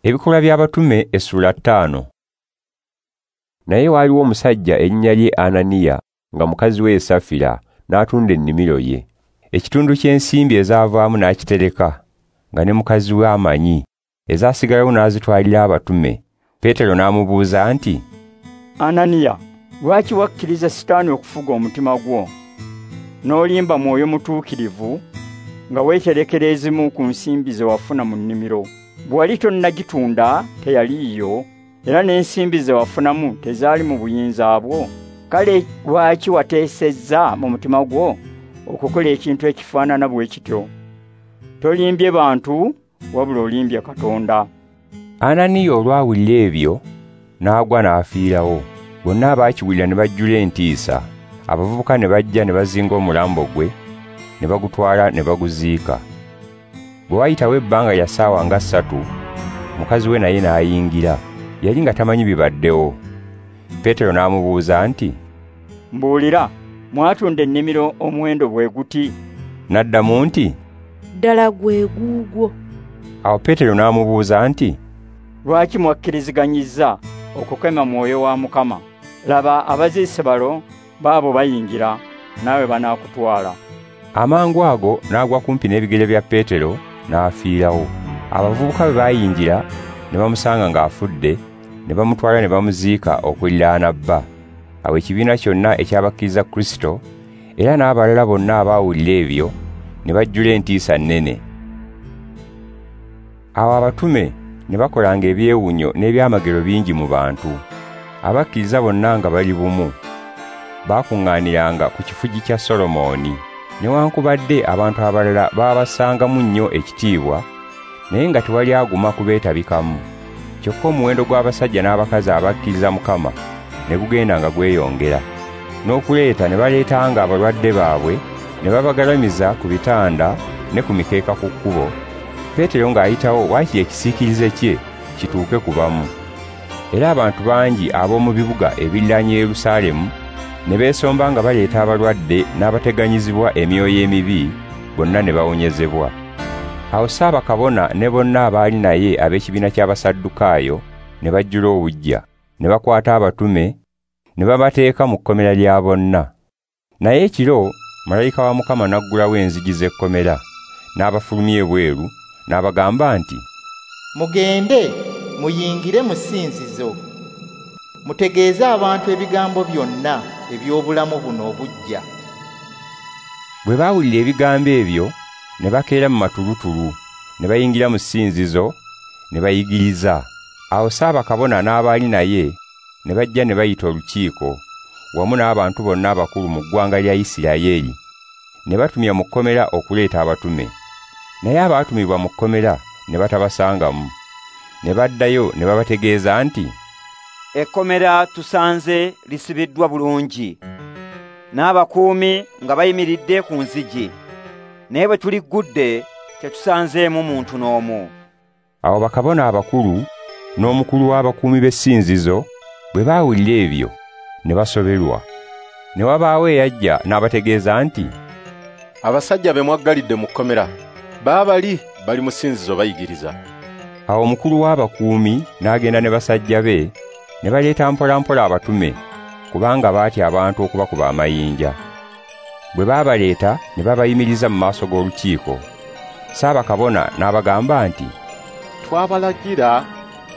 Ebikolwa by'Abatume essula 5. Naye waaliwo omusajja erinnya lye Ananiya nga mukazi we Safira n'atunda ennimiro ye. Ekitundu ky'ensimbi ezaavaamu n'akitereka nga ne mukazi we amanyi, ezaasigalawo n'azitwalira abatume. Peetero n'amubuuza nti, Ananiya, lwaki wakkiriza Sitaani okufuga omutima gwo n'olimba Mwoyo Mutuukirivu nga weeterekera ezimu ku nsimbi ze wafuna mu nnimiro? Bwe wali tonnagitunda teyaliiyo, era n'ensimbi ze wafunamu tezaali mu buyinza bwo. Kale lwaki wateesezza mu mutima gwo okukola ekintu ekifaanana bwe kityo? Tolimbye bantu, wabula olimbye Katonda. Ananiya olwawulira ebyo n'agwa n'afiirawo. Bonna abaakiwulira ne bajjula entiisa. Abavubuka ne bajja ne bazinga omulambo gwe ne bagutwala ne baguziika. Bwe wayitawo ebbanga lya ssaawa nga 3, mukazi we naye n'ayingira. Yali nga tamanyi bibaddewo. Peetero n'amubuuza nti, Mbuulira, mwatunda ennimiro omuwendo bwe guti? N'addamu nti, Ddala gwe guugwo. Awo Peetero n'amubuuza nti, Lwaki mwakkiriziganyizza okukema Mwoyo wa Mukama? Laba, abaziise balo baabo bayingira, naawe banaakutwala. Amangu ago n'agwa kumpi n'ebigere bya Peetero n'afiirawo. Abavubuka bwe baayingira ne bamusanga ng'afudde, ne bamutwala ne bamuziika okuliraana bba. Awo ekibiina kyonna ekyabakkiriza Kristo era n'abalala bonna abaawulira ebyo ne bajjula entiisa nnene. Awo abatume ne bakolanga ebyewuunyo n'ebyamagero bingi mu bantu. Abakkiriza bonna nga bali bumu, baakuŋŋaaniranga ku kifugi kya Solomooni. Newankubadde abantu abalala baabassangamu nnyo ekitiibwa, naye nga tewali aguma kubeetabikamu. Kyokka omuwendo gw'abasajja n'abakazi abakkiriza Mukama ne gugenda nga gweyongera. N'okuleeta ne baleetanga abalwadde baabwe ne babagalamiza ku bitanda ne ku mikeeka ku kkubo. Peetero ng'ayitawo waakiri ekisiikirize kye kituuke ku bamu. Era abantu bangi ab'omu bibuga ebiriraanye Yerusaalemu ne beesomba nga baleeta abalwadde n'abateganyizibwa emyoyo emibi, bonna ne bawonyezebwa. Awo Ssaabakabona ne bonna abaali naye ab'ekibiina ky'Abasaddukaayo ne bajjula obuggya, ne bakwata abatume ne babateeka mu kkomera lya bonna. Naye ekiro malayika wa Mukama n'aggulawo enzigi z'ekkomera, n'abafulumya ebweru, n'abagamba nti, Mugende muyingire mu ssinzizo, mutegeeze abantu ebigambo byonna eby'obulamu buno obuggya. Bwe baawulira ebigambo ebyo ne bakeera mu matulutulu, ne bayingira mu ssinzizo ne bayigiriza. Awo Ssaabakabona n'abaali naye ne bajja ne bayita olukiiko wamu n'abantu bonna abakulu mu ggwanga lya Isirayiri, ne batumya mu kkomera okuleeta abatume. Naye abaatumibwa mu kkomera ne batabasangamu. Ne baddayo ne babategeeza nti, Ekkomera tusanze lisibiddwa bulungi, n'abakuumi nga bayimiridde ku nzigi, naye bwe tuliggudde tetusanzeemu muntu n'omu. Awo bakabona abakulu n'omukulu w'abakuumi b'essinzizo bwe baawulira ebyo ne basoberwa. Ne wabaawo eyajja n'abategeeza nti, Abasajja be mwaggalidde mu kkomera baabali bali mu ssinzizo bayigiriza. Awo omukulu w'abakuumi n'agenda ne basajja be ne baleeta mpolampola abatume, kubanga baatya abantu okubakuba amayinja. Bwe baabaleeta ne babayimiriza mu maaso g'olukiiko. Ssaabakabona n'abagamba nti, Twabalagira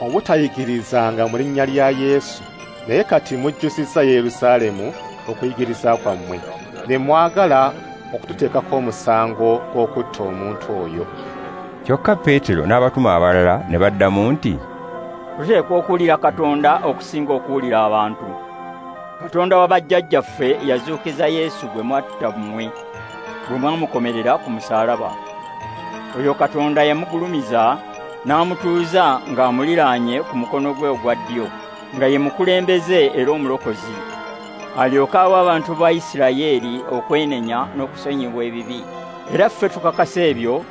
obutayigirizanga mu linnya lya Yesu, naye kati mujjuzizza Yerusaalemu okuyigiriza kwammwe, ne mwagala okututeekako omusango gw'okutta omuntu oyo. Kyokka Peetero n'abatume abalala ne baddamu nti, Tuteekwa okuwulira Katonda okusinga okuwulira abantu. Katonda wa bajjajjaffe yazuukiza Yesu gwe mwatta mmwe, bwe mwamukomerera ku musaalaba. Oyo Katonda yamugulumiza n'amutuuza ng'amuliraanye ku mukono gwe ogwa ddyo, nga ye mukulembeze era omulokozi, alyoke awe abantu ba Isirayiri okwenenya n'okusonyibwa ebibi. Era ffe tukakasa ebyo,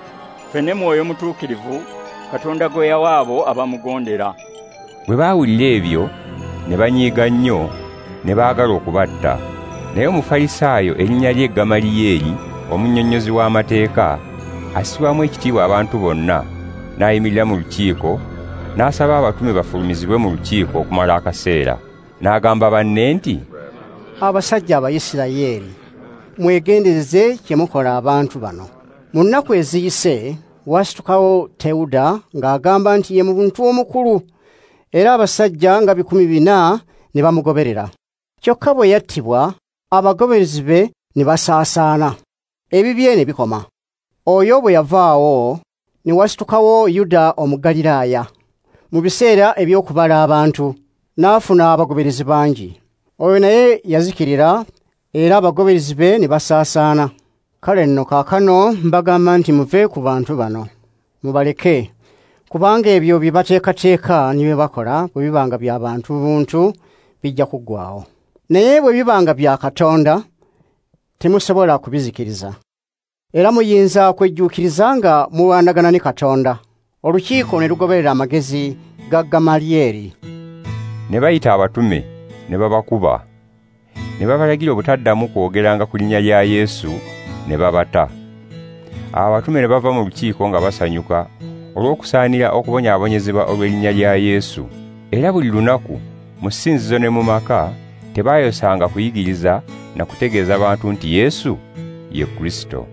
ffe ne Mwoyo Mutuukirivu Katonda gwe yawa abo abamugondera. Bwe baawulira ebyo ne banyiiga nnyo, ne baagala okubatta. Naye Omufalisaayo erinnya lye Gamaliyeeri, omunnyonnyozi w'amateeka, assibwamu ekitiibwa abantu bonna, n'ayimirira mu lukiiko N'asaba abatume bafulumizibwe mu lukiiko okumala akaseera. N'agamba banne nti, Abasajja Abayisirayeli, mwegendereze kye mukola abantu bano. Mu nnaku eziyise wasitukawo Tewuda ng'agamba nti ye muntu omukulu, era abasajja nga 4,000 ne bamugoberera. Kyokka bwe yattibwa, abagoberezi be ne basaasaana, ebibye ne bikoma. Oyo bwe yavaawo, ne wasitukawo Yuda Omugaliraaya mu biseera eby'okubala abantu, n'afuna abagoberezi bangi. Oyo naye yazikirira, era abagoberezi be ne basaasaana. Kale nno kaakano mbagamba nti muve ku bantu bano, mubaleke, kubanga ebyo bye bateekateeka ne bye bakola bwe bibanga bya bantu buntu bijja kuggwaawo. Naye bwe bibanga bya Katonda, temusobola kubizikiriza. Era muyinza kwejjuukiriza nga mulwanagana ne Katonda. Olukiiko ne lugoberera amagezi ga Gamalyeri. Ne bayita abatume ne babakuba, ne babalagira obutaddamu kwogeranga ku linnya lya Yesu, ne babata. Abatume ne bava mu lukiiko nga basanyuka olw'okusaanira okubonyaabonyezebwa olw'erinnya lya Yesu. Era buli lunaku mu ssinzizo ne mu maka tebaayosanga kuyigiriza na kutegeeza bantu nti Yesu ye Kristo.